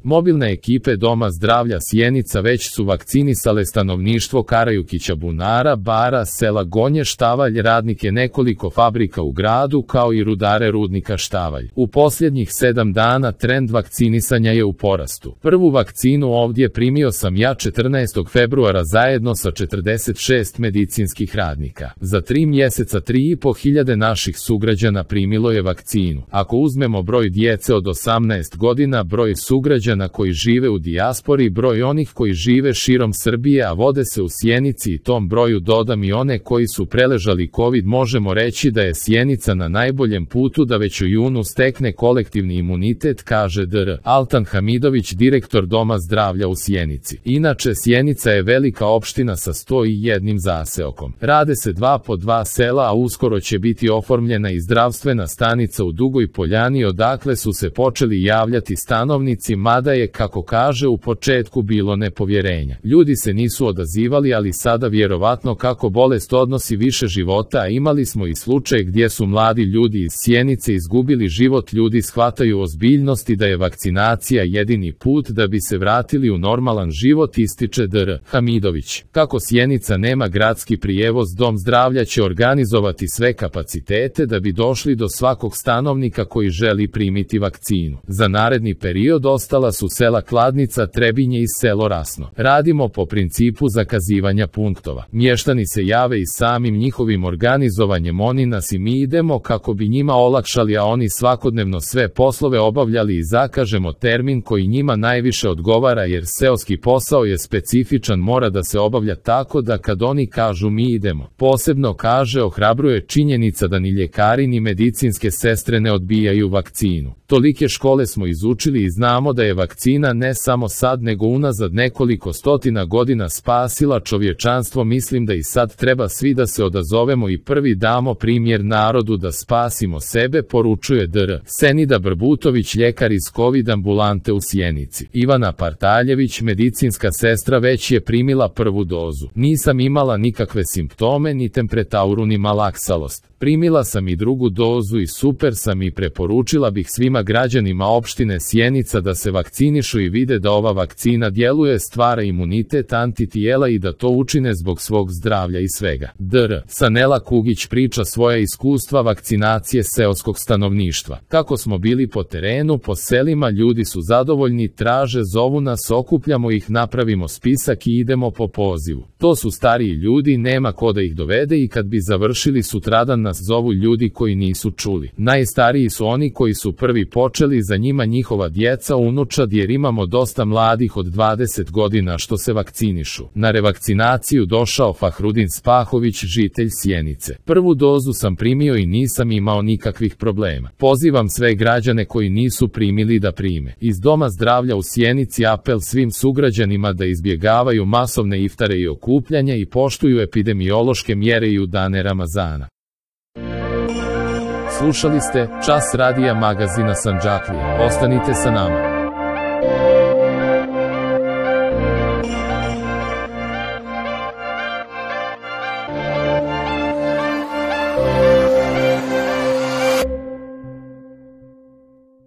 Mobilne ekipe Doma zdravlja Sjenica već su vakcinisale stanovništvo Karajukića, Bunara, Bara, sela Gonje, Štavalj, radnike nekoliko fabrika u gradu kao i rudare rudnika Štavalj. U posljednjih 7 dana trend vakcinisanja je u porastu. Prvu vakcinu ovdje primio sam ja 14. februara zajedno sa 46 medicinskih radnika. Za 3 mjeseca 3.500 naših sugrađana primilo je vakcinu. Ako uzmemo broj djece od 18 godina, broj sugrađana koji žive u dijaspori, broj onih koji žive širom Srbije, a vode se u Sjenici, i tom broju dodam i one koji su preležali COVID, možemo reći da je Sjenica na najboljem putu da već u junu stekne kolektivni imunitet, kaže dr. Altan Hamidović, direktor Doma zdravlja u Sjenici. Inače, Sjenica je velika opština sa 101 zaseokom. Rade se 2 po 2 sela, a uskoro će biti oformljena i zdravstvena stanica u Dugoj Poljani, odakle su se počeli javljati stanovnici, mada je, kako kaže, u početku bilo nepovjerenja. Ljudi se nisu odazivali, ali sada vjerovatno kako bolest odnosi više života, a imali smo i slučaj gdje su mladi ljudi iz Sjenice izgubili život. Ljudi shvataju ozbiljnost i da je vakcinacija jedini put da bi se vratili u normalan život, ističe dr. Hamidović. Kako Sjenica nema gradski prijevoz, Dom zdravlja će organizovati sve kapacitete da bi došli do svakog stanovnika koji želi primiti vakcinu. Za naredni period ostala su sela Kladnica, Trebinje i selo Rasno. Radimo po principu zakazivanja punktova. Mještani se jave i samim njihovim organizovanjem oni nas i mi idemo kako bi njima olakšali, a oni svakodnevno sve poslove obavljali, i zakažemo termin koji njima najviše odgovara, jer seoski posao je specifičan, mora da se obavlja tako da kad oni kažu mi idemo. Posebno, kaže, ohrabruje činjenica da ni ljekari ni medicinske sestre ne odbijaju vakcinu. Tolike škole smo izučili i znamo da je vakcina ne samo sad nego unazad nekoliko stotina godina spasila čovječanstvo. Mislim da i sad treba svi da se odazovemo i prvi damo primjer narodu da spasimo sebe, poručuje dr. Senida Brbutović, ljekar iz COVID ambulante u Sjenici. Ivana Partaljević, medicinska sestra, već je primila prvu dozu. Nisam imala nikakve simptome, ni temperaturu ni malaksalost. Primila sam i drugu dozu i super sam, i preporučila bih svima građanima opštine Sjenica da se vakcinišu i vide da ova vakcina djeluje, stvara imunitet, antitijela, i da to učine zbog svog zdravlja i svega. dr. Sanela Kugić priča svoja iskustva vakcinacije seoskog stanovništva. Kako smo bili po terenu, po selima, ljudi su zadovoljni, traže, zovu nas, okupljamo ih, napravimo spisak i idemo po pozivu. To su stariji ljudi, nema ko da ih dovede, i kad bi završili sutradan nas zovu ljudi koji nisu čuli. Najstariji su oni koji su prvi počeli, za njima njihova djeca, unučad, jer imamo dosta mladih od 20 godina što se vakcinišu. Na revakcinaciju došao Fahrudin Spahović, žitelj Sjenice. Prvu dozu sam primio i nisam imao nikakvih problema. Pozivam sve građane koji nisu primili da prime. Iz Doma zdravlja u Sjenici apel svim sugrađanima da izbjegavaju masovne iftare i okupljanja i poštuju epidemiološke mjere i u dane Ramazana. Slušali ste Čas radija magazina Sandžaklije. Ostanite sa nama.